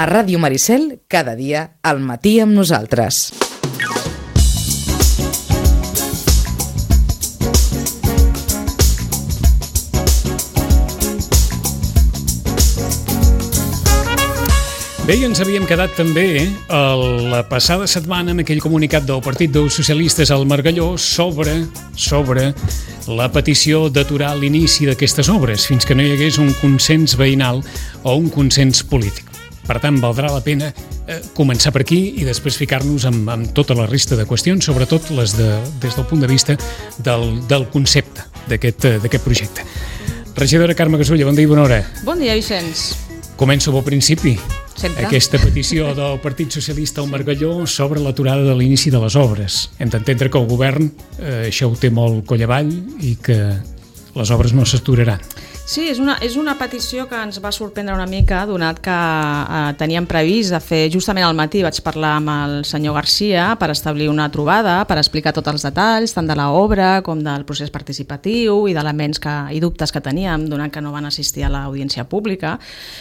A Ràdio Maricel, cada dia, al matí amb nosaltres. Bé, ens havíem quedat també la passada setmana amb aquell comunicat del Partit dels Socialistes al Margalló sobre la petició d'aturar l'inici d'aquestes obres fins que no hi hagués un consens veïnal o un consens polític. Per tant, valdrà la pena començar per aquí i després ficar-nos amb tota la resta de qüestions, sobretot les des del punt de vista del concepte d'aquest projecte. Regidora Carme Gasulla, bon dia i bona hora. Bon dia, Vicenç. Començo pel principi. Sempre. Aquesta petició del Partit Socialista al Margalló sobre l'aturada de l'inici de les obres. Hem d'entendre que el govern això ho té molt coll avall i que les obres no s'aturaran. Sí, és una petició que ens va sorprendre una mica, donat que teníem previst de fer justament al matí. Vaig parlar amb el senyor Garcia per establir una trobada, per explicar tots els detalls, tant de l'obra com del procés participatiu i d'elements i dubtes que teníem, donat que no van assistir a l'audiència pública,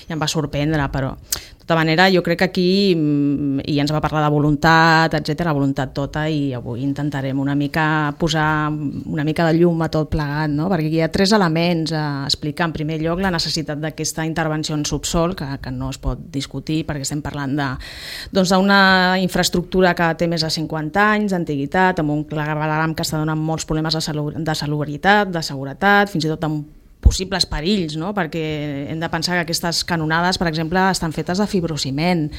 i em va sorprendre, però de tota manera jo crec que aquí, i ens va parlar de voluntat, etcètera, voluntat tota, i avui intentarem una mica posar una mica de llum a tot plegat, no? Perquè hi ha 3 elements a explicar. En primer lloc, la necessitat d'aquesta intervenció en subsol, que no es pot discutir perquè estem parlant d'una infraestructura que té més de 50 anys d'antiguitat, amb un clavegueram que està donant molts problemes de salubritat, de seguretat, fins i tot amb possibles perills, no? Perquè hem de pensar que aquestes canonades, per exemple, estan fetes de fibrociment.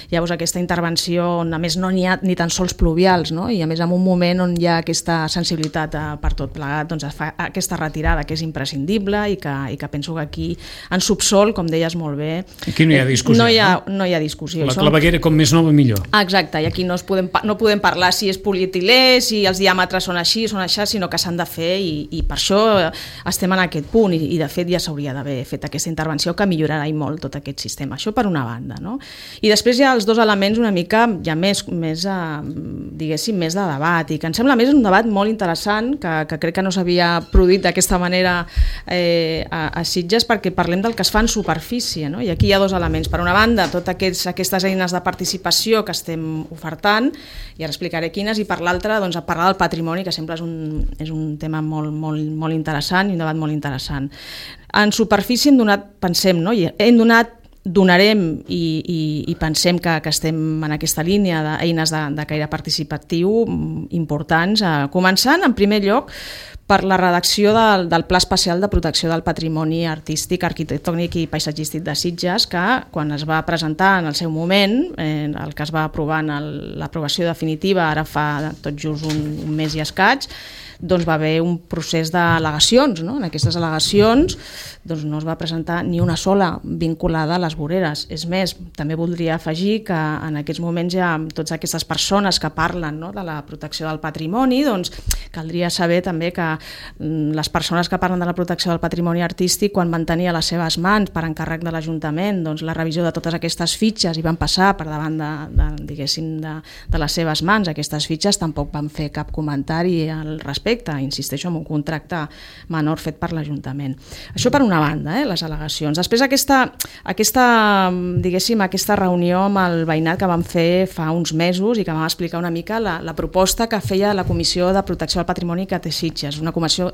Llavors aquesta intervenció, on a més no n'hi ha ni tan sols pluvials, no? I a més en un moment on hi ha aquesta sensibilitat per tot plegat, doncs es fa aquesta retirada que és imprescindible i que penso que aquí en subsol, com deies molt bé, aquí no hi ha discussió. No hi ha discussió. La claveguera com més nova millor. Exacte, i aquí no podem parlar si és polietilè, si els diàmetres són així, sinó que s'han de fer i per això estem en aquest punt. I de fet ja s'hauria d'haver fet aquesta intervenció que millorarà i molt tot aquest sistema. Això per una banda, no? I després hi ha els 2 elements una mica ja més diguéssim, més de debat, i que em sembla més un debat molt interessant que crec que no s'havia produït d'aquesta manera a Sitges, perquè parlem del que es fa en superfície, no? I aquí hi ha 2 elements. Per una banda, totes aquestes eines de participació que estem ofertant, i ara explicaré quines, i per l'altra, doncs, a parlar del patrimoni, que sempre és un tema molt, molt, molt interessant i un debat molt interessant. En superfície donarem i pensem que estem en aquesta línia d'eines de caire participatiu importants, començant en primer lloc per la redacció del Pla Especial de Protecció del Patrimoni Artístic, Arquitectònic i Paisatgístic de Sitges, que quan es va presentar en el seu moment, el que es va aprovar en l'aprovació definitiva, ara fa tot just un mes i escaig, doncs va haver un procés d'al·legacions, no? En aquestes al·legacions doncs no es va presentar ni una sola vinculada a les voreres. És més, també voldria afegir que en aquests moments hi ha totes aquestes persones que parlen, no, de la protecció del patrimoni, doncs caldria saber també que les persones que parlen de la protecció del patrimoni artístic, quan van tenir a les seves mans per encàrrec de l'Ajuntament doncs la revisió de totes aquestes fitxes i van passar per davant de les seves mans aquestes fitxes, tampoc van fer cap comentari al respecte, insisteixo, en un contracte menor fet per l'Ajuntament. Això per una banda, les al·legacions. Després aquesta reunió amb el veïnat que vam fer fa uns mesos i que vam explicar una mica la proposta que feia la Comissió de Protecció del Patrimoni que té Sitges, una comissió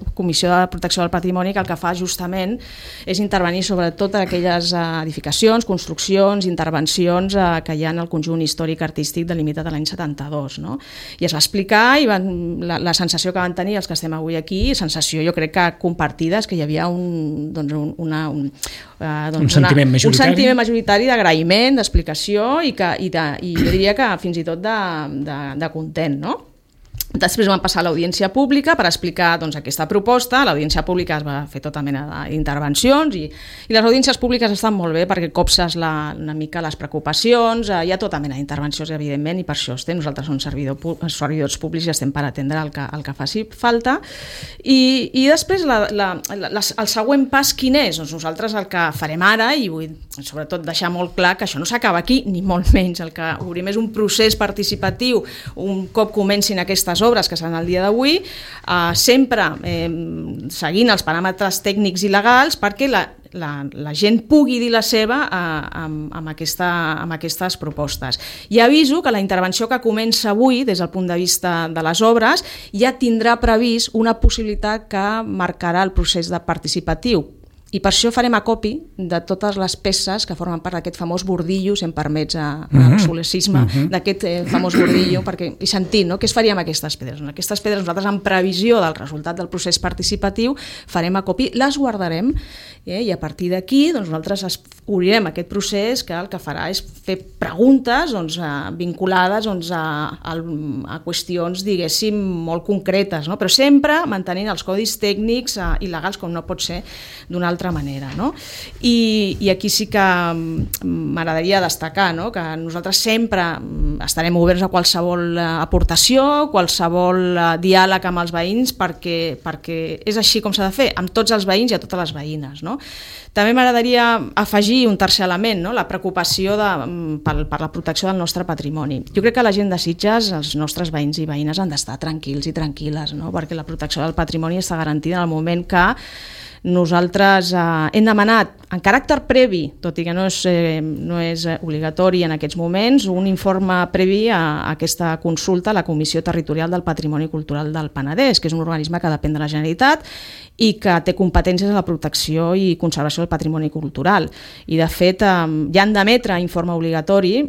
de protecció del patrimoni que el que fa justament és intervenir sobre totes aquelles edificacions, construccions, intervencions que hi ha en el conjunt històric artístic delimitat de l'any 72. No? I es va explicar i la sensació que van tenir els que estem avui aquí, sensació jo crec que compartida, és que hi havia un sentiment majoritari d'agraïment, d'explicació i jo diria que fins i tot de content, no? Després vam passar a l'audiència pública per explicar aquesta proposta. A l'audiència pública es va fer tota mena d'intervencions i les audiències públiques estan molt bé perquè copses una mica les preocupacions, hi ha tota mena d'intervencions evidentment i per això estem, nosaltres som servidors públics i estem per atendre el que faci falta i després el següent pas quin és? Doncs nosaltres el que farem ara, i vull sobretot deixar molt clar que això no s'acaba aquí ni molt menys, el que obrim és un procés participatiu un cop comencin aquestes obres que seran el dia d'avui, sempre seguint els paràmetres tècnics i legals perquè la gent pugui dir la seva amb aquestes propostes. I aviso que la intervenció que comença avui, des del punt de vista de les obres, ja tindrà previst una possibilitat que marcarà el procés de participatiu. I per això farem acopi de totes les peces que formen part d'aquest famós bordillo, si em permets l'obsolescisme, d'aquest famós bordillo, perquè hi sentim, no? Què es faria amb aquestes pedres? Aquestes pedres nosaltres, en previsió del resultat del procés participatiu, farem acopi, les guardarem, i a partir d'aquí nosaltres obrirem aquest procés que el que farà és fer preguntes vinculades a qüestions, diguéssim, molt concretes, no? Però sempre mantenint els codis tècnics i legals, com no pot ser d'una altra manera, no? I aquí sí que m'agradaria destacar, no?, que nosaltres sempre estarem oberts a qualsevol aportació, qualsevol diàleg amb els veïns, perquè és així com s'ha de fer, amb tots els veïns i a totes les veïnes, no? També m'agradaria afegir un tercer element, no?, la preocupació per la protecció del nostre patrimoni. Jo crec que la gent de Sitges, els nostres veïns i veïnes, han d'estar tranquils i tranquil·les, no?, perquè la protecció del patrimoni està garantida en el moment que nosaltres hem demanat, en caràcter previ, tot i que no és obligatori en aquests moments, un informe previ a aquesta consulta a la Comissió Territorial del Patrimoni Cultural del Penedès, que és un organisme que depèn de la Generalitat i que té competències en la protecció i conservació del patrimoni cultural. I, de fet, ja han d'emetre informe obligatori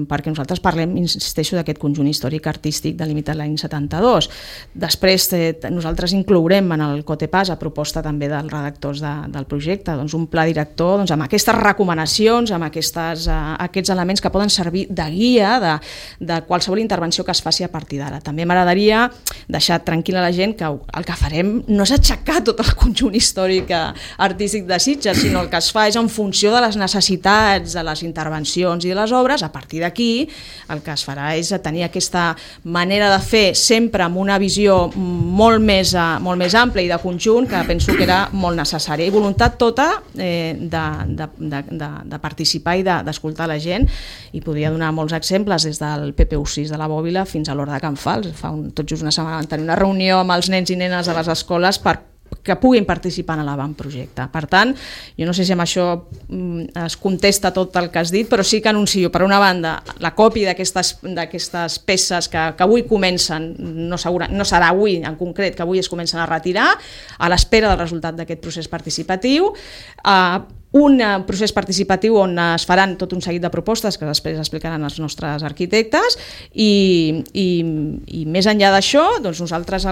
perquè nosaltres parlem, insisteixo, d'aquest conjunt històric artístic delimitat l'any 72. Després nosaltres inclourem en el COTEPAS, a proposta també dels redactors del projecte, un pla director amb aquestes recomanacions, amb aquests elements que poden servir de guia de qualsevol intervenció que es faci a partir d'ara. També m'agradaria deixar tranquil·la la gent que el que farem no és aixecar tot el conjunt històric artístic de Sitges, sinó el que es fa és en funció de les necessitats de les intervencions i de les obres. A partir d'aquí el que es farà és tenir aquesta manera de fer sempre amb una visió molt més àmplia i de conjunt, que penso que era molt necessària, i voluntat tota de participar i d'escoltar la gent, i podria donar molts exemples des del PPU6 de la Bòbila fins a l'Horta de Can Fals. Fa tot just una setmana vam tenir una reunió amb els nens i nenes de les escoles que puguin participar en l'avantprojecte. Per tant, jo no sé si amb això es contesta tot el que has dit, però sí que anuncio, per una banda, la còpia d'aquestes peces que avui comencen, no serà avui en concret, que avui es comencen a retirar, a l'espera del resultat d'aquest procés participatiu, un procés participatiu on es faran tot un seguit de propostes que després explicaran els nostres arquitectes, i més enllà d'això, doncs nosaltres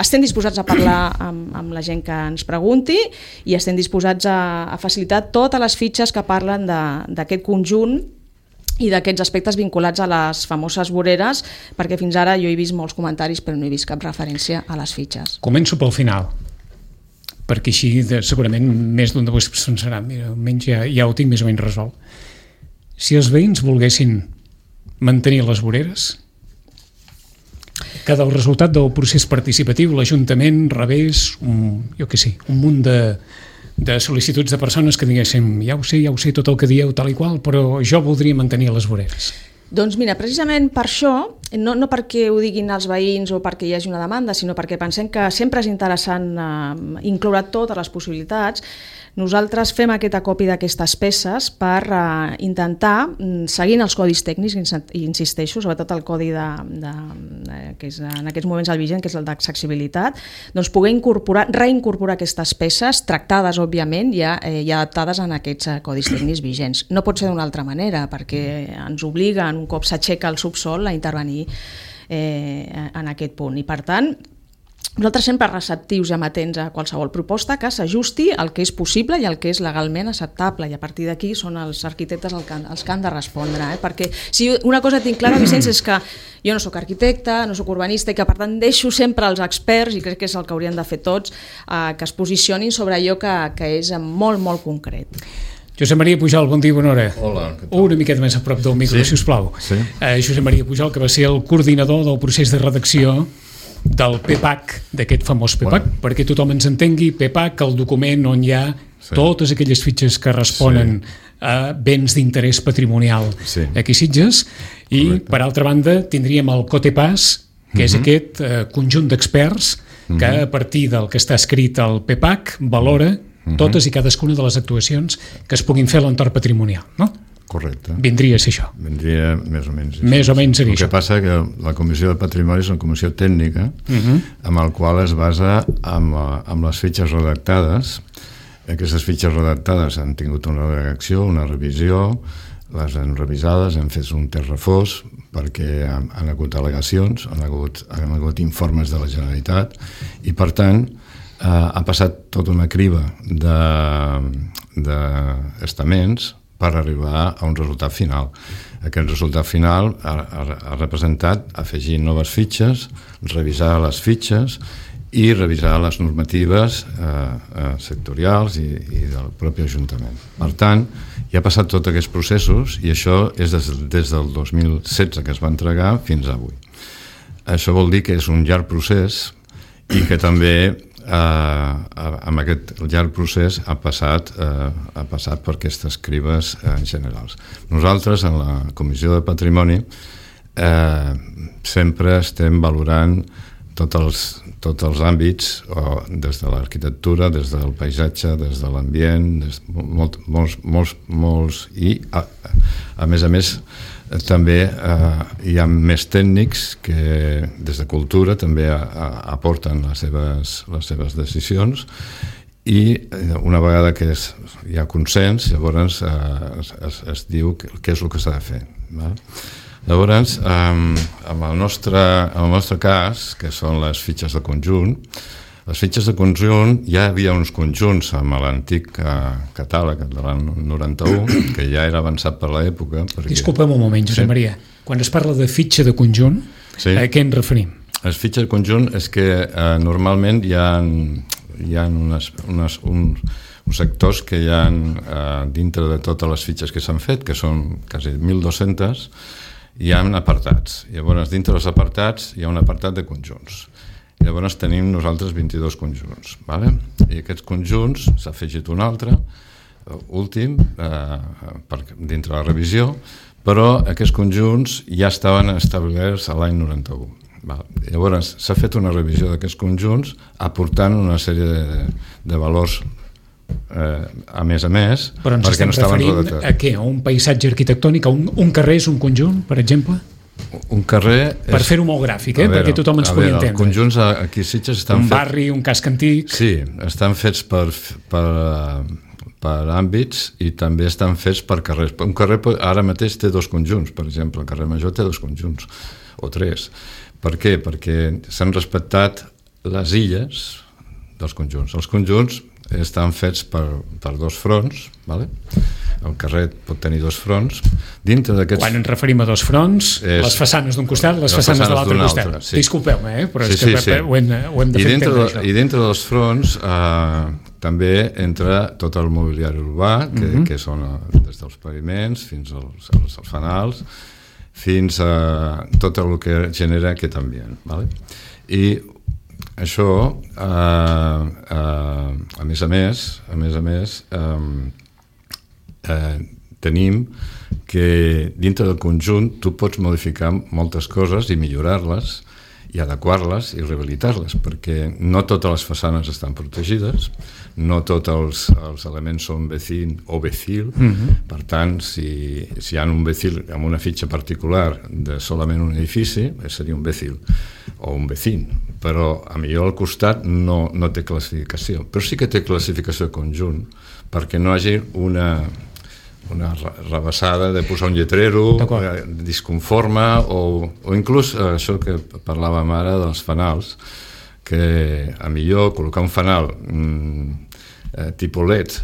estem disposats a parlar amb la gent que ens pregunti, i estem disposats a facilitar totes les fitxes que parlen d'aquest conjunt i d'aquests aspectes vinculats a les famoses voreres, perquè fins ara jo he vist molts comentaris però no he vist cap referència a les fitxes. Començo pel final, perquè així segurament més d'un de vosaltres pensarà, mira, almenys ja ho tinc més o menys resolt. Si els veïns volguessin mantenir les voreres, que del resultat del procés participatiu l'Ajuntament rebés un munt de sol·licituds de persones que diguéssim, ja ho sé tot el que dieu tal i qual, però jo voldria mantenir les voreres. Doncs mira, precisament per això, no perquè ho diguin els veïns o perquè hi hagi una demanda, sinó perquè pensem que sempre és interessant incloure totes les possibilitats, nosaltres fem aquest acopi d'aquestes peces per intentar, seguint els codis tècnics, i insisteixo, sobretot el codi que és en aquests moments el vigent, que és el d'accessibilitat, doncs poder reincorporar aquestes peces, tractades, òbviament, i adaptades en aquests codis tècnics vigents. No pot ser d'una altra manera, perquè ens obliga, un cop s'aixeca el subsol, a intervenir en aquest punt. I, per tant, nosaltres sempre receptius i amatents a qualsevol proposta que s'ajusti al que és possible i al que és legalment acceptable, i a partir d'aquí són els arquitectes els que han de respondre, perquè si una cosa tinc clara, Vicenç, és que jo no sóc arquitecte, no sóc urbanista, i que per tant deixo sempre als experts, i crec que és el que haurien de fer tots, que es posicionin sobre allò que és molt, molt concret. Josep Maria Pujol, bon dia, bona hora. Hola. Una miqueta més a prop del micro, si us plau. Sí. Josep Maria Pujol, que va ser el coordinador del procés de redacció del PPAC, d'aquest famós PPAC, perquè tothom ens entengui, PPAC, el document on hi ha totes aquelles fitxes que responen a béns d'interès patrimonial aquí a Sitges, i per altra banda tindríem el COTEPAS, que és aquest conjunt d'experts que a partir del que està escrit al PPAC valora totes i cadascuna de les actuacions que es puguin fer a l'entorn patrimonial, no? Correcte. Vindria a ser això. Vindria més o menys. Més o menys seria això. El que passa que la Comissió de Patrimoni és una comissió tècnica amb el qual es basa amb les fitxes redactades. Aquestes fitxes redactades han tingut una redacció, una revisió, les han revisades, han fet un test refós perquè han hagut al·legacions, han hagut informes de la Generalitat i, per tant, ha passat tota una criba d'estaments per arribar a un resultat final. Aquest resultat final ha representat afegir noves fitxes, revisar les fitxes i revisar les normatives sectorials i del propi Ajuntament. Per tant, ja ha passat tots aquests processos i això és des del 2016 que es va entregar fins avui. Això vol dir que és un llarg procés i que també amb aquest llarg procés ha passat per aquestes crides generals. Nosaltres, en la Comissió de Patrimoni, sempre estem valorant tots els àmbits, des de l'arquitectura, des del paisatge, des de l'ambient, molts, i a més també hi ha més tècnics que des de cultura també aporten les seves decisions i una vegada que hi ha consens, llavors es diu què és el que s'ha de fer. Llavors, en el nostre cas, que són les fitxes de conjunt, les fitxes de conjunt, ja hi havia uns conjunts amb l'antic catàleg de l'any 91, que ja era avançat per l'època. Disculpa'm un moment, Josep Maria. Quan es parla de fitxa de conjunt, a què ens referim? Les fitxes de conjunt és que normalment hi ha uns sectors que hi ha dintre de totes les fitxes que s'han fet, que són quasi 1.200, hi ha apartats. Llavors, dintre dels apartats hi ha un apartat de conjunts. Llavors tenim nosaltres 22 conjunts, i aquests conjunts s'ha afegit un altre, últim, dintre la revisió, però aquests conjunts ja estaven establerts a l'any 91. Llavors s'ha fet una revisió d'aquests conjunts aportant una sèrie de valors a més, però ens estem referint a què? A un paisatge arquitectònic? Un carrer és un conjunt, per exemple? Un carrer... Per fer-ho molt gràfic, perquè tothom ens pugui entendre. Els conjunts aquí a Sitges estan fets... Un barri, un casc antic... Sí, estan fets per àmbits i també estan fets per carrers. Un carrer ara mateix té 2 conjunts, per exemple, el carrer Major té 2 conjunts, o 3. Per què? Perquè s'han respectat les illes dels conjunts. Els conjunts estan fets per 2 fronts, el carrer pot tenir 2 fronts. Dintre d'aquests... Quan ens referim a 2 fronts, les façanes d'un costat, les façanes de l'altre costat. Sí. Disculpeu-me, però és que ho hem de fer entendre això. I dintre dels fronts també entra tot el mobiliari urbà, que són des dels paviments fins als fanals, fins a tot el que genera aquest ambient. I això, a més, tenim que dintre del conjunt tu pots modificar moltes coses i millorar-les i adequar-les i rehabilitar-les, perquè no totes les façanes estan protegides, no tots els elements són vecin o vecil, per tant, si hi ha un vecil amb una fitxa particular de solament un edifici, seria un vecil o un vecin, però a millor al costat no té classificació, però sí que té classificació de conjunt, perquè no hi hagi una rebassada de posar un lletrero disconforme o inclús això que parlàvem ara dels fanals, que a millor col·locar un fanal tipus LED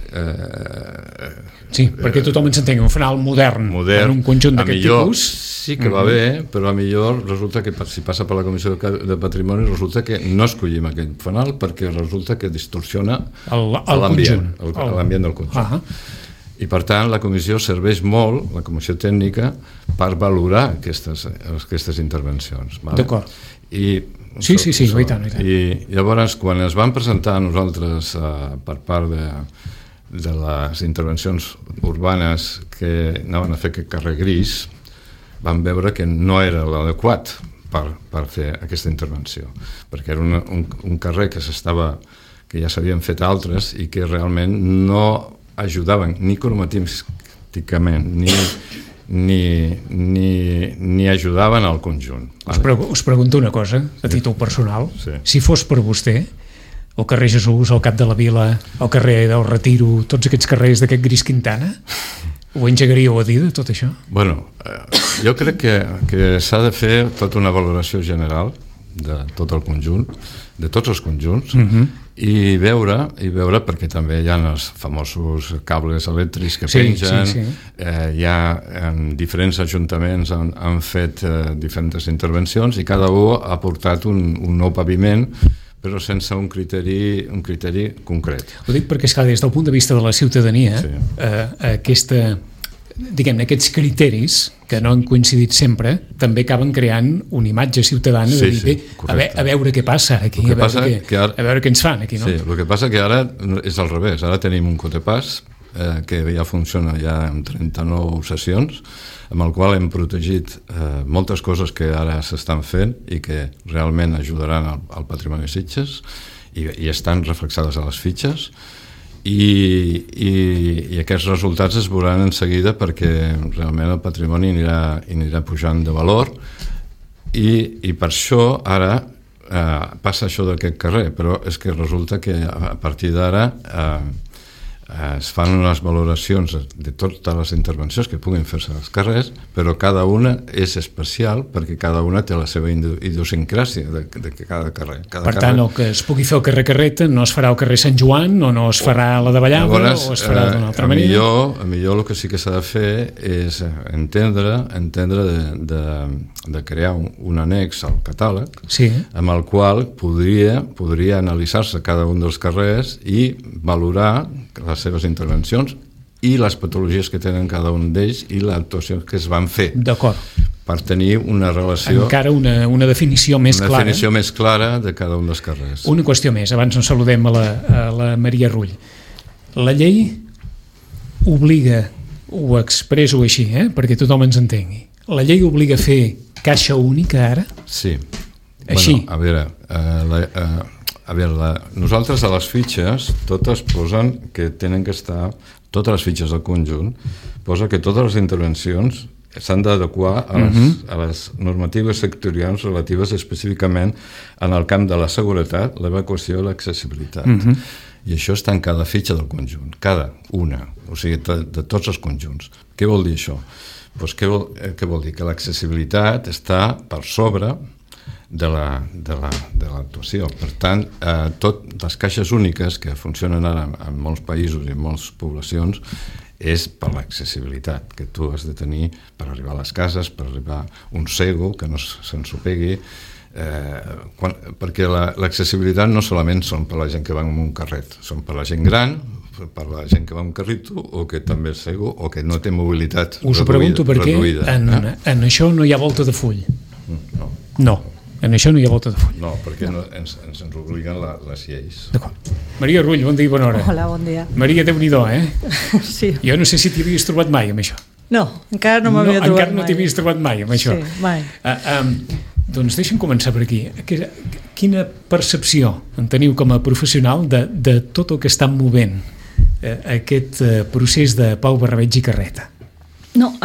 sí, perquè tothom ens entengui, un fanal modern en un conjunt d'aquest tipus sí que va bé, però a millor resulta que si passa per la Comissió de Patrimoni resulta que no escollim aquest fanal perquè resulta que distorsiona l'ambient del conjunt. I per tant la comissió serveix molt, la comissió tècnica, per valorar aquestes intervencions. D'acord. Sí, i tant. I llavors, quan es van presentar a nosaltres per part de les intervencions urbanes que anaven a fer aquest carrer gris, vam veure que no era l'adequat per fer aquesta intervenció, perquè era un carrer que que ja s'havien fet altres i que realment no ajudaven ni cromatísticament ni ajudaven al conjunt. Us pregunto una cosa, a títol personal. Sí. Si fos per vostè, el carrer Jesús, el Cap de la Vila, el carrer del Retiro, tots aquests carrers d'aquest Gris Quintana, ho engegaríeu a dir de tot això? Bueno, jo crec que s'ha de fer tota una valoració general de tot el conjunt, de tots els conjunts, i veure, perquè també hi ha els famosos cables elèctrics que pengen, hi ha en diferents ajuntaments han fet diferents intervencions i cada un ha portat un nou paviment, però sense un criteri concret. Ho dic perquè, esclar, des del punt de vista de la ciutadania, aquests criteris que no han coincidit sempre també acaben creant una imatge ciutadana de dir, a veure què passa aquí, a veure què ens fan aquí, no? Sí, el que passa que ara és al revés, ara tenim un cotepàs que ja funciona ja en 39 sessions, amb el qual hem protegit moltes coses que ara s'estan fent i que realment ajudaran al patrimoni de Sitges i estan reflexades a les fitxes. I aquests resultats es veuran en seguida perquè realment el patrimoni anirà pujant de valor i per això ara passa això d'aquest carrer, però és que resulta que a partir d'ara es fan unes valoracions de totes les intervencions que puguin fer-se als carrers, però cada una és especial perquè cada una té la seva idiosincràsia de cada carrer. Per tant, el que es pugui fer al carrer Carreta no es farà al carrer Sant Joan o no es farà a la de Vallada o es farà d'una altra manera. Millor el que sí que s'ha de fer és entendre de crear un annex al catàleg amb el qual podria analitzar-se cada un dels carrers i valorar les seves intervencions i les patologies que tenen cada un d'ells i l'actuació que es van fer. D'acord. Per tenir una relació... Encara una definició més clara. Una definició més clara de cada un dels carrers. Una qüestió més, abans ens saludem a la Maria Rull. La llei obliga, ho expresso així, perquè tothom ens entengui, la llei obliga a fer caixa única ara? Sí. Així? Bueno, a veure, nosaltres a les fitxes totes posen que tenen que estar, totes les fitxes del conjunt, posa que totes les intervencions s'han d'adequar a les normatives sectorials relatives específicament en el camp de la seguretat, l'evacuació i l'accessibilitat. I això està en cada fitxa del conjunt, cada una, o sigui, de tots els conjunts. Què vol dir això? Doncs què vol dir? Que l'accessibilitat està per sobre de l'actuació. Per tant, les caixes úniques que funcionen ara en molts països i en moltes poblacions és per l'accessibilitat que tu has de tenir per arribar a les cases, per arribar un cego que no se'ns ho pegui, perquè l'accessibilitat no solament són per la gent que va en un carret, són per la gent gran, per la gent que va en un carrito o que també és cego o que no té mobilitat reduïda. Us ho pregunto perquè en això no hi ha volta de full. No. En això no hi ha volta de full. No, perquè ens obliguen les lleis. D'acord. Maria Rull, bon dia i bona hora. Hola, bon dia. Maria, Déu-n'hi-do, Sí. Jo no sé si t'hi havies trobat mai amb això. No, encara no m'havia trobat mai. Encara no t'hi havies trobat mai amb això. Sí, mai. Doncs deixa'm començar per aquí. Quina percepció en teniu com a professional de tot el que està movent aquest procés de Pau Barrabeig i Carreta? No,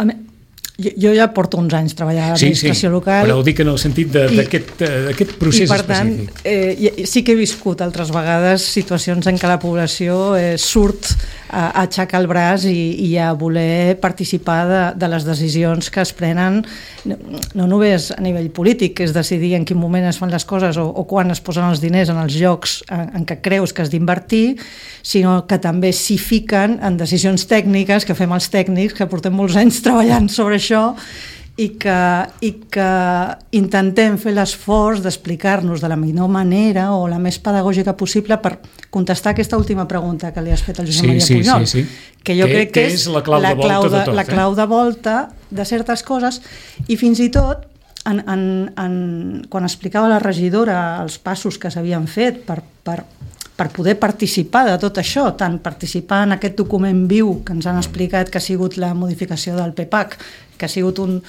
jo ja porto uns anys treballant a l'administració local. Però ho dic en el sentit d'aquest procés específic. I per tant, sí que he viscut altres vegades situacions en què la població surt a aixecar el braç i a voler participar de les decisions que es prenen, no només a nivell polític, que és decidir en quin moment es fan les coses o quan es posen els diners en els llocs en què creus que has d'invertir, sinó que també s'hi fiquen en decisions tècniques que fem els tècnics, que portem molts anys treballant sobre això i que intentem fer l'esforç d'explicar-nos de la millor manera o la més pedagògica possible per contestar aquesta última pregunta que li has fet al Josep Maria Pujol, que jo crec que és la clau de volta de certes coses. I fins i tot quan explicava la regidora els passos que s'havien fet per poder participar de tot això, tant participar en aquest document viu que ens han explicat que ha sigut la modificació del PPAC, que ha sigut un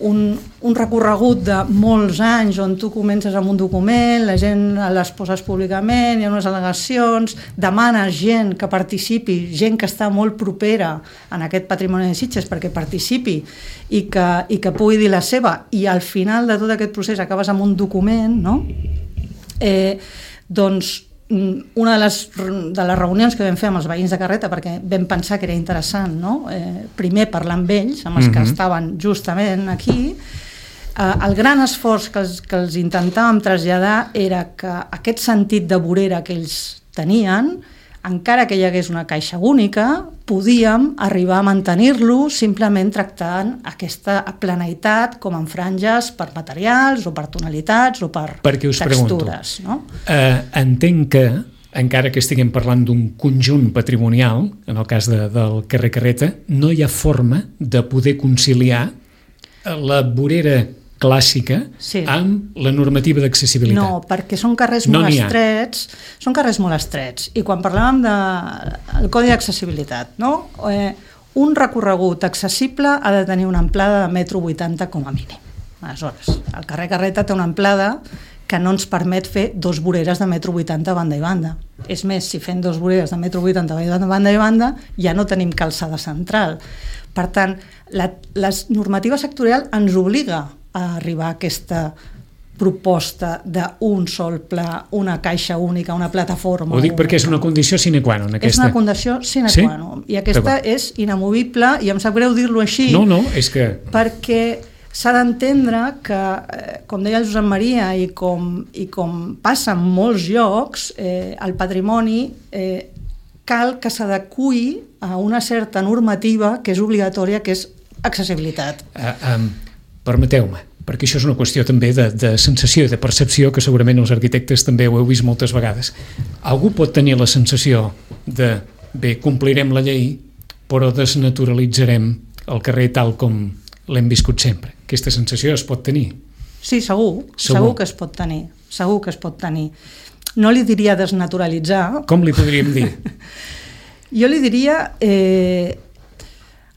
un recorregut de molts anys on tu comences amb un document, la gent les poses públicament, hi ha unes al·legacions, demanes gent que participi, gent que està molt propera en aquest patrimoni de Sitges perquè participi i que pugui dir la seva, i al final de tot aquest procés acabes amb un document, no? Doncs una de les reunions que vam fer amb els veïns de Carreta, perquè vam pensar que era interessant, no? Primer parlar amb ells, amb els que estaven justament aquí, el gran esforç que els intentàvem traslladar era que aquest sentit de vorera que ells tenien, encara que hi hagués una caixa única, podíem arribar a mantenir-lo simplement tractant aquesta planeïtat com en franges per materials o per tonalitats o per textures. No? Entenc que, encara que estiguem parlant d'un conjunt patrimonial, en el cas del carrer Carreta, no hi ha forma de poder conciliar la vorera clàssica amb la normativa d'accessibilitat. No, perquè són carrers molt estrets, i quan parlàvem del Codi d'Accessibilitat, no? Un recorregut accessible ha de tenir una amplada de 1,80 m com a mínim. Aleshores, el carrer Carreta té una amplada que no ens permet fer 2 voreres de 1,80 m banda i banda. És més, si fem 2 voreres de 1,80 m banda i banda, ja no tenim calçada central. Per tant, la normativa sectorial ens obliga a arribar a aquesta proposta d'un sol pla, una caixa única, una plataforma. Ho dic perquè és una condició sine qua non. És una condició sine qua non. I aquesta és inamovible, i em sap greu dir-lo així. No, és que... Perquè s'ha d'entendre que, com deia el Josep Maria, i com passa en molts llocs, el patrimoni cal que s'adeqüi a una certa normativa que és obligatòria, que és accessibilitat. Permeteu-me, perquè això és una qüestió també de sensació i de percepció, que segurament els arquitectes també ho heu vist moltes vegades. Algú pot tenir la sensació de, bé, complirem la llei, però desnaturalitzarem el carrer tal com l'hem viscut sempre. Aquesta sensació es pot tenir? Sí, segur que es pot tenir. No li diria desnaturalitzar. Com li podríem dir? Jo li diria...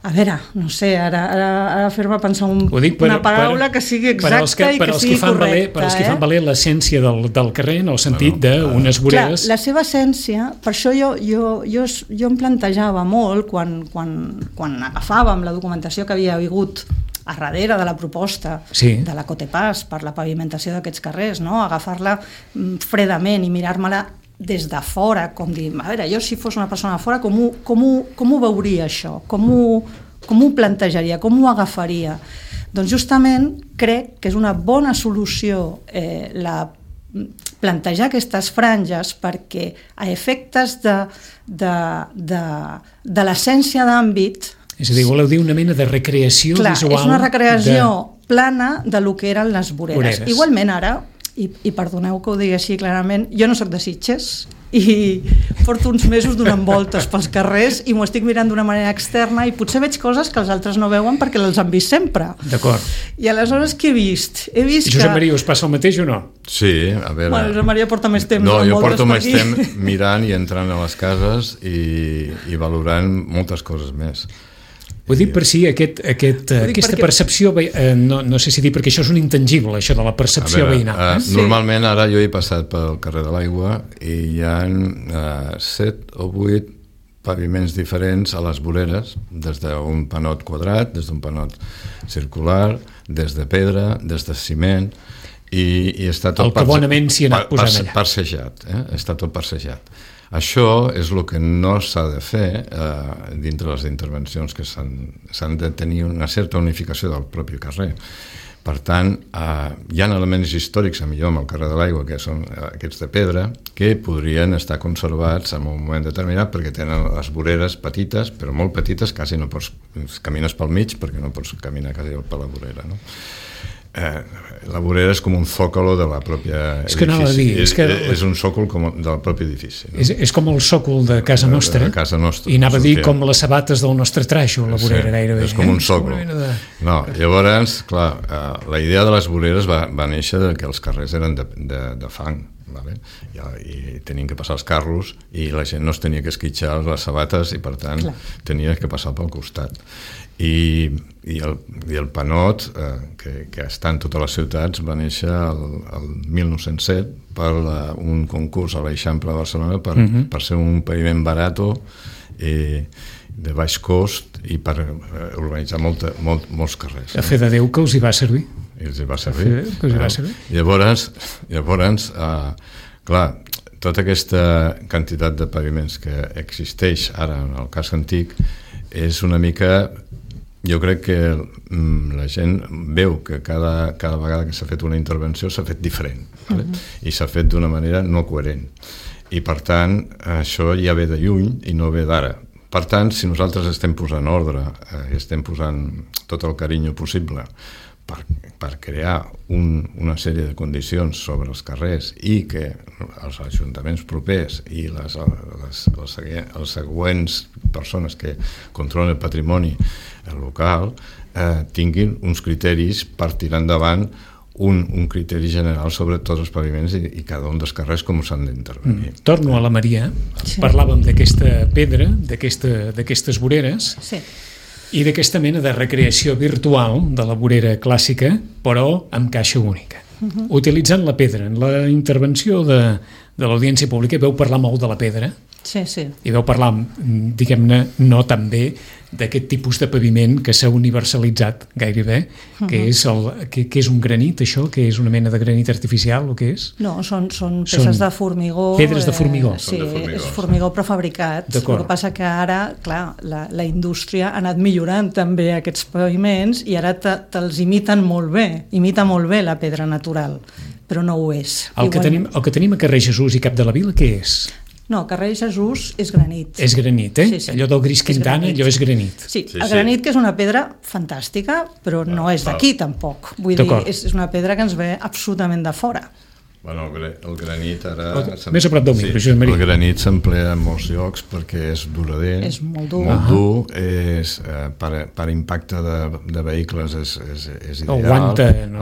A veure, no sé, ara fer-me pensar una paraula que sigui exacta i que sigui correcta. Per als que fan valer l'essència del carrer, en el sentit d'unes voreres... Clar, la seva essència, per això jo em plantejava molt, quan agafàvem la documentació que havia hagut a darrere de la proposta de la Cotepas per la pavimentació d'aquests carrers, no? Agafar-la fredament i mirar-me-la des de fora, com dir, a veure, jo si fos una persona de fora, com ho veuria això? Com ho plantejaria? Com ho agafaria? Doncs justament crec que és una bona solució plantejar aquestes franges, perquè a efectes de l'essència d'àmbit... És a dir, voleu dir una mena de recreació visual... Clar, és una recreació plana de lo que eren les voreres. Igualment ara... I perdoneu que ho digui així clarament, jo no soc de Sitges i porto uns mesos donant voltes pels carrers i m'ho estic mirant d'una manera externa i potser veig coses que els altres no veuen perquè les han vist sempre. D'acord. I aleshores què he vist? He vist Josep Maria, us passa el mateix o no? Sí, a veure... Bueno, Josep Maria porta més temps. No, jo porto més temps mirant i entrant a les cases i valorant moltes coses més. Ho dic per si aquesta percepció, no sé si dir, perquè això és un intangible, això de la percepció veïnal. Normalment ara jo he passat pel carrer de l'Aigua i hi ha 7 o 8 paviments diferents a les voreres, des d'un panot quadrat, des d'un panot circular, des de pedra, des de ciment, i està tot passejat. Està tot passejat. Això és el que no s'ha de fer dintre les intervencions, que s'han de tenir una certa unificació del propi carrer. Per tant, hi ha elements històrics, a millor amb el carrer de l'Aigua, que són aquests de pedra, que podrien estar conservats en un moment determinat perquè tenen les voreres petites, però molt petites, quasi no pots caminar pel mig perquè no pots caminar quasi per la vorera, no? La vorera és com un zòcolo de la pròpia edifici. És un sòcol del propi edifici. No? És com el sòcol de casa nostra. I anava a dir com les sabates del nostre traixo, la vorera gairebé. És com un sòcol. No, llavors, clar, la idea de les voreres va néixer que els carrers eren de fang. vale? I tenien que passar els carros i la gent no es tenia que esquitxar les sabates i, per tant, tenia que passar pel costat. I el panot, que està en totes les ciutats, va néixer el 1907 per un concurs a l'Eixample de Barcelona per ser un paviment barato de baix cost i per urbanitzar molts carrers. A fe de Déu que els hi va servir. Els hi va servir. Llavors, clar, tota aquesta quantitat de paviments que existeix ara en el cas antic és una mica... Jo crec que la gent veu que cada vegada que s'ha fet una intervenció s'ha fet diferent, vale? I s'ha fet d'una manera no coherent. I, per tant, això ja ve de lluny i no ve d'ara. Per tant, si nosaltres estem posant ordre, estem posant tot el carinyo possible per crear una sèrie de condicions sobre els carrers i que els ajuntaments propers i les següents persones que controlen el patrimoni local tinguin uns criteris per tirar endavant un criteri general sobre tots els paviments i cada un dels carrers com s'han d'intervenir. Torno a la Maria. Parlàvem d'aquesta pedra, d'aquestes voreres, i d'aquesta mena de recreació virtual de la vorera clàssica, però amb caixa única. Utilitzant la pedra. En la intervenció de l'audiència pública veu parlar molt de la pedra. Sí. I veu parlar, diguem-ne, no tan bé d'aquest tipus de paviment que s'ha universalitzat gairebé, que és un granit, això, que és una mena de granit artificial, o què és? No, són peces de formigó. Pedres de formigó. Sí, és formigó prefabricat. El que passa que ara, clar, la indústria ha anat millorant també aquests paviments i ara te'ls imiten molt bé la pedra natural, però no ho és. El que tenim a carrer Jesús i Cap de la Vila, què és? No, carrer Jesús és granit. És granit, eh? Sí. Allò del gris Quintana, allò és granit. Sí, el granit, que és una pedra fantàstica, però no és d'aquí tampoc. Vull dir, és una pedra que ens ve absolutament de fora. Bueno, el granit ara... Més a prop del micro, Josep Maria. El granit s'emplea en molts llocs perquè és durader. És molt dur. Molt dur, per impacte de vehicles és ideal.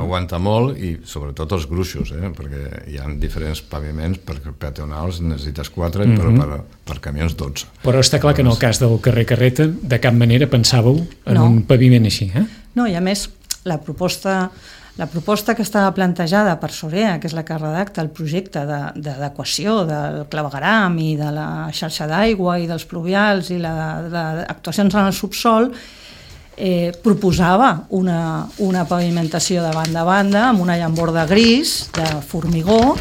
Aguanta molt i sobretot els gruixos, perquè hi ha diferents paviments, per peatonals necessites 4, però per camions 12. Però està clar que en el cas del carrer Carreta de cap manera pensàveu en un paviment així, eh? No, i a més la proposta que estava plantejada per Sorea, que és la que redacta el projecte d'adequació del clavegueram i de la xarxa d'aigua i dels pluvials i d'actuacions en el subsol, proposava una pavimentació de banda a banda amb una llamborda gris de formigó,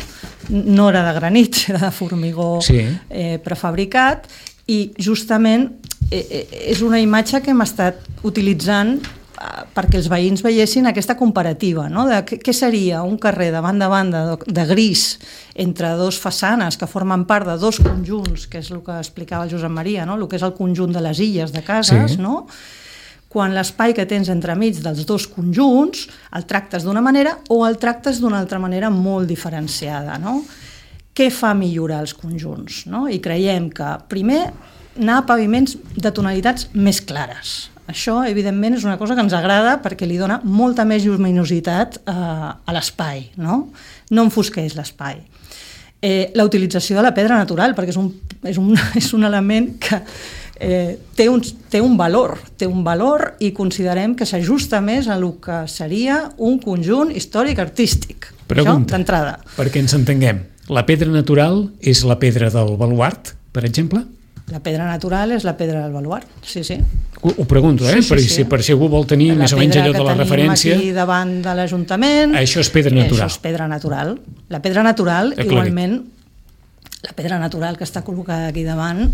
no era de granit, era de formigó prefabricat, i justament és una imatge que hem estat utilitzant perquè els veïns veiessin aquesta comparativa, no? De què seria un carrer de banda a banda de gris entre dos façanes que formen part de dos conjunts, que és el que explicava el Josep Maria, no? El que és el conjunt de les illes de cases, no? Quan l'espai que tens entremig dels dos conjunts el tractes d'una manera o el tractes d'una altra manera molt diferenciada, no? Què fa millorar els conjunts, no? I creiem que primer anar a paviments de tonalitats més clares. Això, evidentment, és una cosa que ens agrada perquè li dona molta més lluminositat a l'espai, no? No enfosqueix l'espai. La utilització de la pedra natural, perquè és un element que té un valor i considerem que s'ajusta més a el que seria un conjunt històric-artístic. Pregunta, això d'entrada. Perquè ens entenguem, la pedra natural és la pedra del baluart, per exemple? La pedra natural és la pedra del baluart, sí. Ho pregunto, per si algú vol tenir més o menys allò de la referència. La pedra que tenim aquí davant de l'Ajuntament... Això és pedra natural. Això és pedra natural. La pedra natural, igualment, la pedra natural que està col·locada aquí davant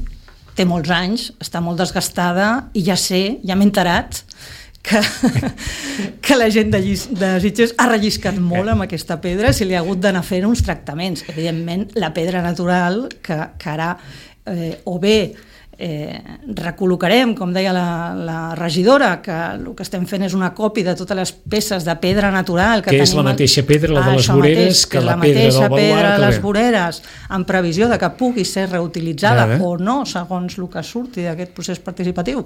té molts anys, està molt desgastada i ja m'he enterat que la gent de Sitges ha relliscat molt amb aquesta pedra, si li ha hagut d'anar fent uns tractaments. Evidentment, la pedra natural, que ara o bé recol·locarem, com deia la regidora, que el que estem fent és una còpia de totes les peces de pedra natural que és la mateixa pedra, la de les voreres, que la pedra del baluart. Pedra de les voreres, en previsió de que pugui ser reutilitzada o no, segons el que surti d'aquest procés participatiu,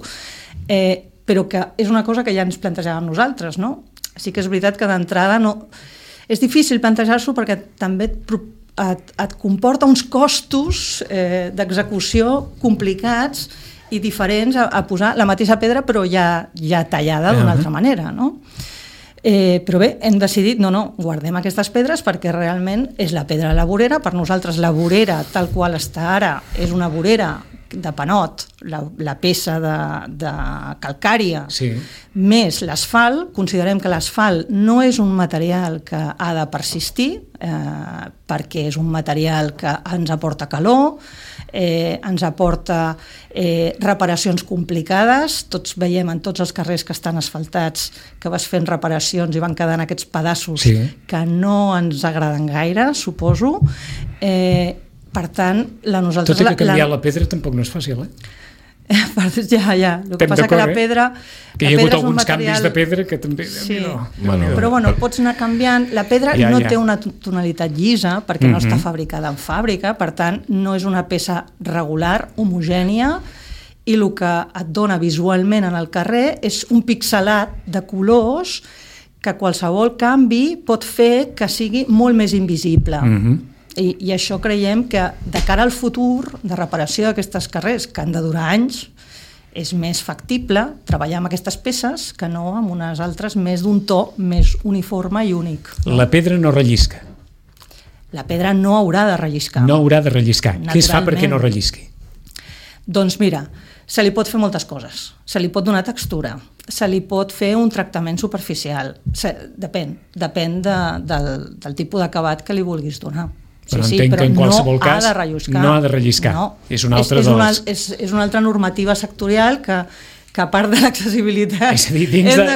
però que és una cosa que ja ens plantejàvem nosaltres, no? Sí que és veritat que d'entrada no... És difícil plantejar-s'ho perquè també et comporta uns costos d'execució complicats i diferents a posar la mateixa pedra però ja tallada d'una altra manera, no? Però bé, hem decidit, no, guardem aquestes pedres perquè realment és la pedra de la vorera. Per nosaltres la vorera tal qual està ara és una vorera de panot, la peça de calcària, més l'asfalt. Considerem que l'asfalt no és un material que ha de persistir perquè és un material que ens aporta calor, ens aporta reparacions complicades. Tots veiem en tots els carrers que estan asfaltats que vas fent reparacions i van quedant aquests pedaços que no ens agraden gaire, suposo. Per tant, nosaltres... Tot i que canviar la pedra tampoc no és fàcil, Ja. El que passa que la pedra... Que hi ha hagut alguns canvis de pedra que també... Sí, però pots anar canviant. La pedra no té una tonalitat llisa perquè no està fabricada en fàbrica, per tant, no és una peça regular, homogènia, i el que et dona visualment en el carrer és un pixelat de colors que qualsevol canvi pot fer que sigui molt més invisible. I això creiem que de cara al futur de reparació d'aquestes carrers, que han de durar anys, és més factible treballar amb aquestes peces que no amb unes altres més d'un to més uniforme i únic. La pedra no rellisca. La pedra no haurà de relliscar. No haurà de relliscar. Què es fa perquè no rellisqui? Doncs mira, se li pot fer moltes coses. Se li pot donar textura, se li pot fer un tractament superficial. Depèn del tipus d'acabat que li vulguis donar. Però entenc que en qualsevol cas no ha de relliscar. És una altra normativa sectorial que a part de l'accessibilitat... És a dir,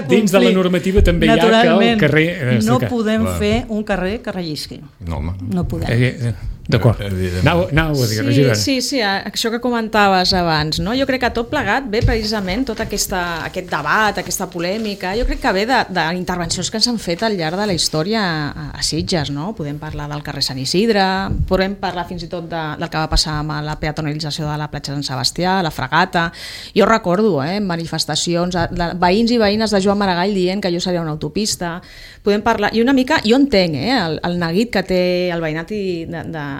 dins de la normativa també hi ha que el carrer... No podem fer un carrer que rellisqui. No podem. D'acord. Anau a dir, regidora. Sí, això que comentaves abans, no? Jo crec que tot plegat ve precisament tot aquest debat, aquesta polèmica, jo crec que ve d'intervencions que s'han fet al llarg de la història a Sitges, no? Podem parlar del carrer Sant Isidre, podem parlar fins i tot del que va passar amb la peatonalització de la platja Sant Sebastià, la Fragata. Jo recordo manifestacions de veïns i veïnes de Joan Maragall dient que allò seria una autopista. Podem parlar, i una mica, jo entenc el neguit que té el veïnat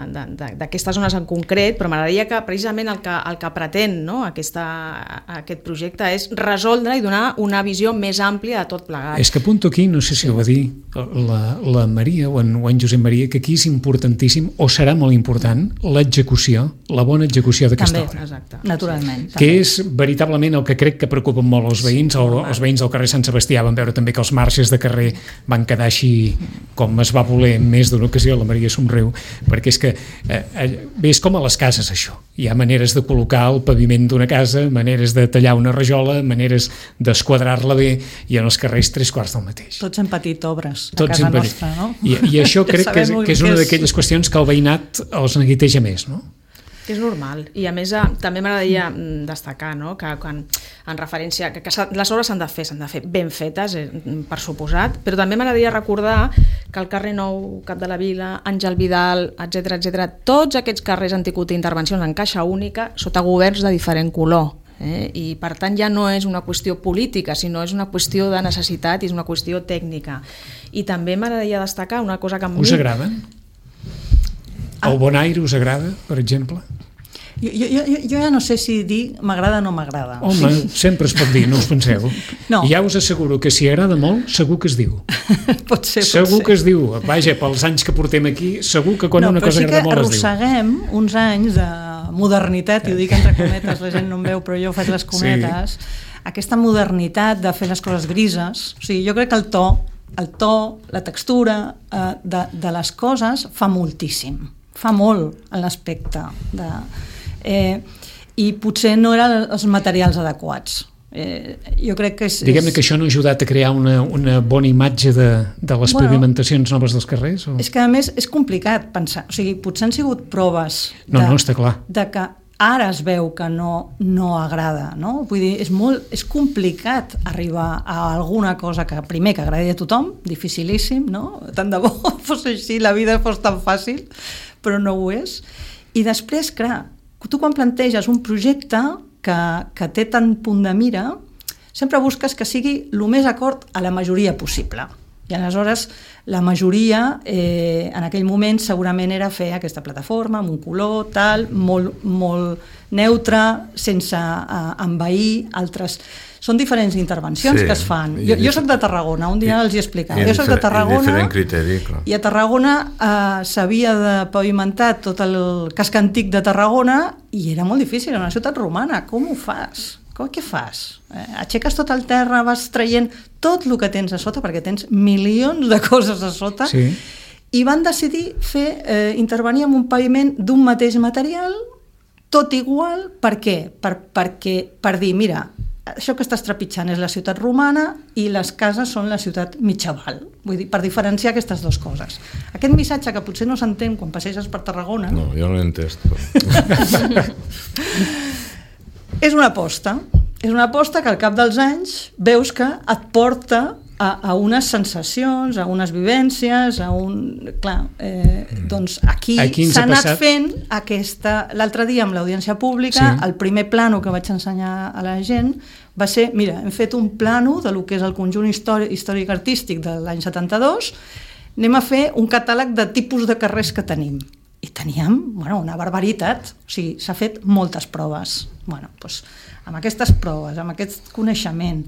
d'aquestes zones en concret, però m'agradaria que precisament el que pretén, no? aquest projecte és resoldre i donar una visió més àmplia de tot plegat. És que apunto aquí, no sé si ho va dir la Maria o en Josep Maria, que aquí és importantíssim, o serà molt important, l'execució, la bona execució d'aquesta obra. Exacte. Naturalment. Que és veritablement el que crec que preocupa molt els veïns. Els veïns del carrer Sant Sebastià van veure també que els marges de carrer van quedar així com es va voler en més d'una ocasió. La Maria somriu, perquè és que és com a les cases, això. Hi ha maneres de col·locar el paviment d'una casa, maneres de tallar una rajola, maneres d'esquadrar-la bé, i en els carrers 3/4 del mateix. Tots hem patit obres a casa nostra, no? I això crec que és una d'aquelles qüestions que el veïnat els neguiteja més, no? És normal, i a més també m'agradaria destacar, no? Que quan, en referència que les obres s'han de fer ben fetes, per suposat, però també m'agradaria recordar que el carrer Nou, Cap de la Vila, Àngel Vidal, etc., tots aquests carrers han tingut intervencions en caixa única sota governs de diferent color. I per tant ja no és una qüestió política, sinó és una qüestió de necessitat i és una qüestió tècnica. I també m'agradaria destacar una cosa que a mi... Us agraden? El Bonaire us agrada, per exemple? Jo ja no sé si dir m'agrada o no m'agrada. Home, sempre es pot dir, no us penseu. No. Ja us asseguro que si agrada molt, segur que es diu. Pot ser. Segur que es diu. Vaja, pels anys que portem aquí, segur que quan una cosa agrada molt es diu. Però sí que arrosseguem uns anys de modernitat, i ho dic entre cometes, la gent no em veu, però jo faig les cometes, aquesta modernitat de fer les coses grises. O sigui, jo crec que el to, la textura de les coses fa moltíssim. Fa molt en l'aspecte i potser no eren els materials adequats. Jo crec que diguem-ne que això no ha ajudat a crear una bona imatge de les pavimentacions noves dels carrers? O? És que a més és complicat pensar, o sigui, potser han sigut proves està clar. De que ara es veu que no agrada, no? Vull dir, és complicat arribar a alguna cosa que primer que agradi a tothom, dificilíssim, no? Tant de bo fos així, la vida fos tan fàcil, però no ho és. I després, clar, tu quan planteges un projecte que té tant punt de mira, sempre busques que sigui el més acord a la majoria possible. I aleshores la majoria en aquell moment segurament era fer aquesta plataforma amb un color tal, molt neutre, sense envair altres... Són diferents intervencions que es fan. Jo soc de Tarragona, un dia els hi explicava. Jo soc de Tarragona i a Tarragona s'havia de pavimentar tot el casc antic de Tarragona i era molt difícil, era una ciutat romana. Com ho fas? Què fas? Aixeques tot el terra, vas traient tot el que tens a sota, perquè tens milions de coses a sota, i van decidir intervenir en un paviment d'un mateix material, tot igual. Per què? Per dir, mira, això que estàs trepitjant és la ciutat romana i les cases són la ciutat mitjaval. Vull dir, per diferenciar aquestes dues coses. Aquest missatge que potser no s'entén quan passeges per Tarragona... No, jo no l'he entès. És una aposta que al cap dels anys veus que et porta a unes sensacions, a unes vivències, doncs aquí s'ha anat fent l'altre dia amb l'audiència pública, el primer plano que vaig ensenyar a la gent va ser, mira, hem fet un plano de lo que és el conjunt històric-artístic de l'any 72, anem a fer un catàleg de tipus de carrers que tenim. I teníem una barbaritat, o sigui, s'ha fet moltes proves. Doncs, amb aquestes proves, amb aquest coneixement,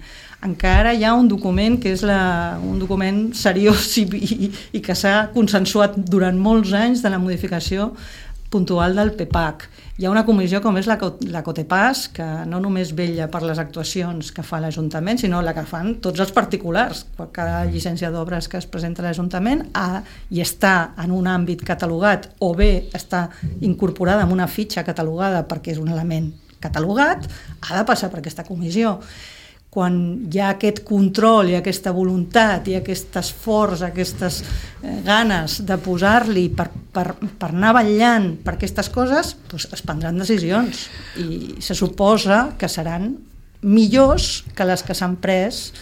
encara hi ha un document que és un document seriós i que s'ha consensuat durant molts anys de la modificació puntual del PPAC. Hi ha una comissió com és la COTEPAS, que no només vetlla per les actuacions que fa l'Ajuntament, sinó la que fan tots els particulars. Cada llicència d'obres que es presenta a l'Ajuntament i està en un àmbit catalogat o bé està incorporada en una fitxa catalogada perquè és un element catalogat, ha de passar per aquesta comissió. Quan hi ha aquest control, hi ha aquesta voluntat, hi ha aquest esforç, aquestes ganes de posar-li per anar vetllant per aquestes coses, doncs es prendran decisions i se suposa que seran millors que les que s'han pres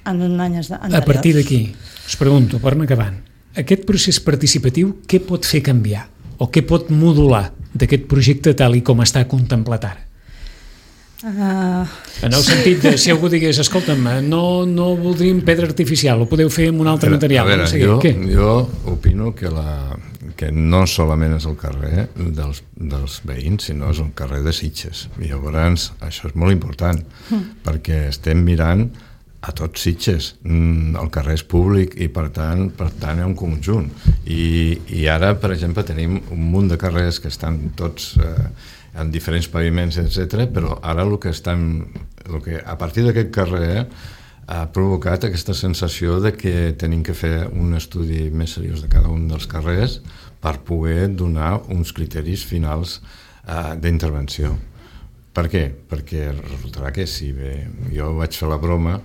en anys anteriors. A partir d'aquí, us pregunto, per anar acabant, aquest procés participatiu què pot fer canviar o què pot modular d'aquest projecte tal i com està contemplat ara? En el sentit de, si algú digués, escolta'm, no voldríem pedra artificial, ho podeu fer amb un altre material. A veure, jo opino que no solament és el carrer dels veïns, sinó és un carrer de Sitges. I llavors això és molt important, perquè estem mirant a tots Sitges. El carrer és públic i per tant hi ha un conjunt. I ara, per exemple, tenim un munt de carrers que estan tots... en diferents paviments, etc. Però ara el que a partir d'aquest carrer ha provocat aquesta sensació de que tenim que fer un estudi més seriós de cada un dels carrers per poder donar uns criteris finals d'intervenció. Per què? Perquè resultarà que si jo vaig fer la broma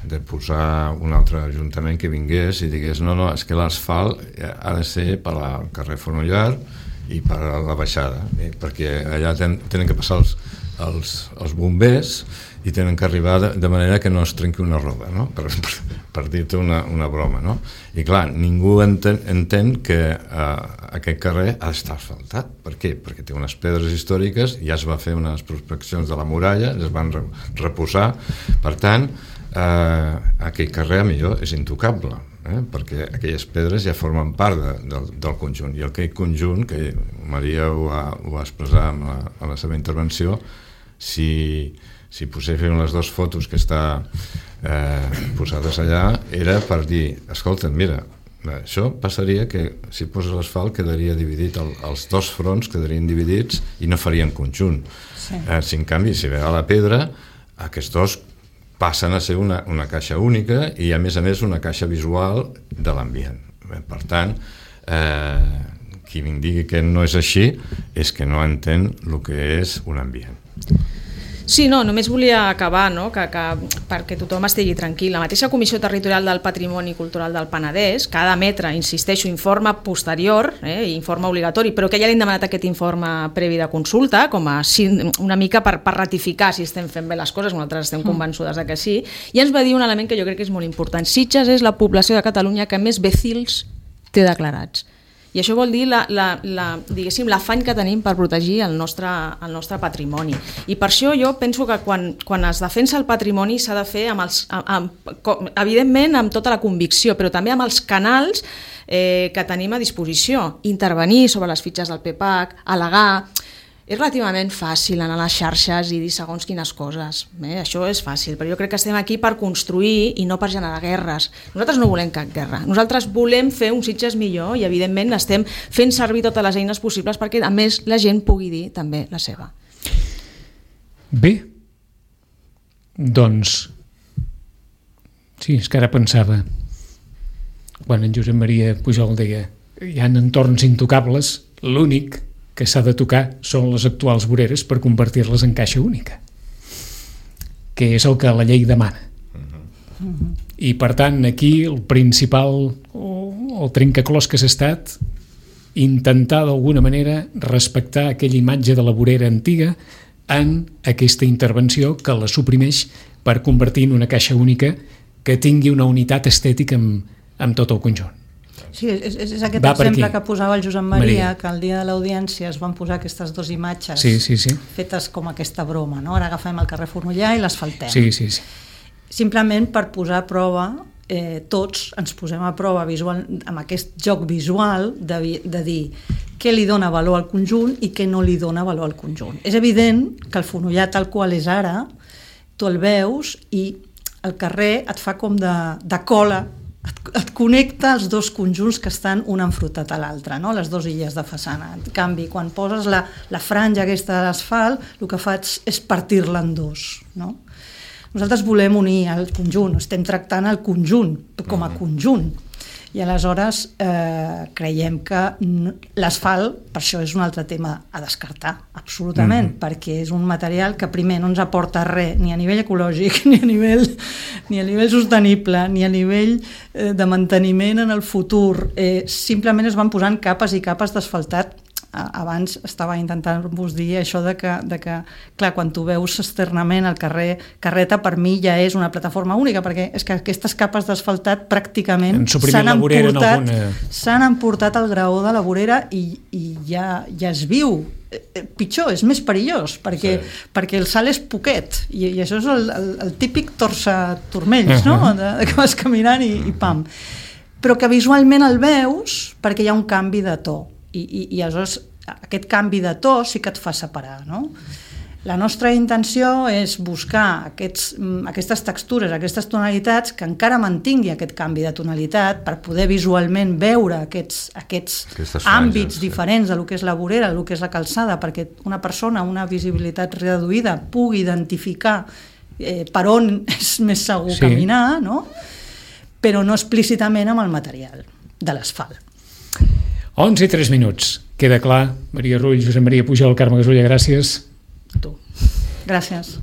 de posar un altre ajuntament que vingués i digués no, és que l'asfalt ha de ser per al carrer Fonollar i per a la baixada, perquè allà tenen que passar els bombers i tenen que arribar de manera que no es trenqui una roda, no? per dir-te una broma. No? I clar, ningú entén que aquest carrer ha d'estar asfaltat. Per què? Perquè té unes pedres històriques, ja es va fer unes prospeccions de la muralla, es van reposar, per tant, aquell carrer millor és intocable. Perquè aquelles pedres ja formen part del conjunt i aquell conjunt, que Maria ho va expressar en la seva intervenció, si poséssim les dues fotos que està posades allà, era per dir, escolta, mira, això passaria que si poses l'asfalt quedaria dividit, els dos fronts quedarien dividits i no farien conjunt. Si en canvi si ve a la pedra, aquests dos passen a ser una caixa única i a més una caixa visual de l'ambient. Per tant, qui em digui que no és així és que no entén el que és un ambient. Sí, no, només volia acabar, no? que perquè tothom estigui tranquil. La mateixa Comissió Territorial del Patrimoni Cultural del Penedès, que ha d'emetre, insisteixo, informe posterior, informe obligatori, però que ja li hem demanat aquest informe previ de consulta, com a una mica per ratificar si estem fent bé les coses, nosaltres estem convençudes que sí, i ens va dir un element que jo crec que és molt important. Sitges és la població de Catalunya que més becils té declarats. I això vol dir diguéssim, l'afany que tenim per protegir el nostre patrimoni. I per això jo penso que quan es defensa el patrimoni s'ha de fer evidentment amb tota la convicció, però també amb els canals que tenim a disposició. Intervenir sobre les fitxes del PPAC, al·legar. És relativament fàcil anar a les xarxes i dir segons quines coses. Això és fàcil, però jo crec que estem aquí per construir i no per generar guerres. Nosaltres no volem cap guerra. Nosaltres volem fer un Sitges millor i, evidentment, estem fent servir totes les eines possibles perquè, a més, la gent pugui dir també la seva. Bé, doncs... Sí, és que ara pensava... Quan en Josep Maria Pujol deia hi ha entorns intocables, l'únic que s'ha de tocar són les actuals voreres per convertir-les en caixa única, que és el que la llei demana. I per tant aquí el principal el trencaclosques ha estat intentar d'alguna manera respectar aquella imatge de la vorera antiga en aquesta intervenció que la suprimeix per convertir en una caixa única que tingui una unitat estètica amb tot el conjunt. Sí, és aquest exemple que posava el Josep Maria, que el dia de l'audiència es van posar aquestes dues imatges fetes com aquesta broma, no? Ara agafem el carrer Fornollà i l'asfaltem. Sí. Simplement per posar a prova, tots ens posem a prova visual, amb aquest joc visual de dir què li dona valor al conjunt i què no li dona valor al conjunt. És evident que el Fornollà tal qual és ara, tu el veus i el carrer et fa com de cola, et connecta els dos conjunts que estan un enfrontat a l'altre, no? Les dues illes de façana. En canvi, quan poses la franja aquesta de l'asfalt, el que faig és partir-la en dos, no? Nosaltres volem unir el conjunt, estem tractant el conjunt com a conjunt, i aleshores creiem que l'asfalt, per això és un altre tema a descartar, absolutament, perquè és un material que primer no ens aporta res, ni a nivell ecològic, ni a nivell sostenible, ni a nivell de manteniment en el futur. Simplement es van posant capes i capes d'asfaltat. Abans estava intentant-vos dir això de que, clar, quan tu veus externament el carrer Carreta, per mi ja és una plataforma única, perquè és que aquestes capes d'asfaltat pràcticament s'han emportat al graó de la vorera i ja es viu. Pitjor, és més perillós, perquè el salt és poquet, i això és el típic torça-turmells, no? Que vas caminant i pam. Però que visualment el veus perquè hi ha un canvi de to. I aleshores aquest canvi de to sí que et fa separar, no? La nostra intenció és buscar aquestes textures, aquestes tonalitats que encara mantingui aquest canvi de tonalitat per poder visualment veure aquests àmbits diferents del que és la vorera, del que és la calçada, perquè una persona amb una visibilitat reduïda pugui identificar per on és més segur caminar, no? Però no explícitament amb el material de l'asfalt. 11 i 3 minuts. Queda clar. Maria Rull, Josep Maria Pujol, Carme Gasulla, gràcies. A tu. Gràcies.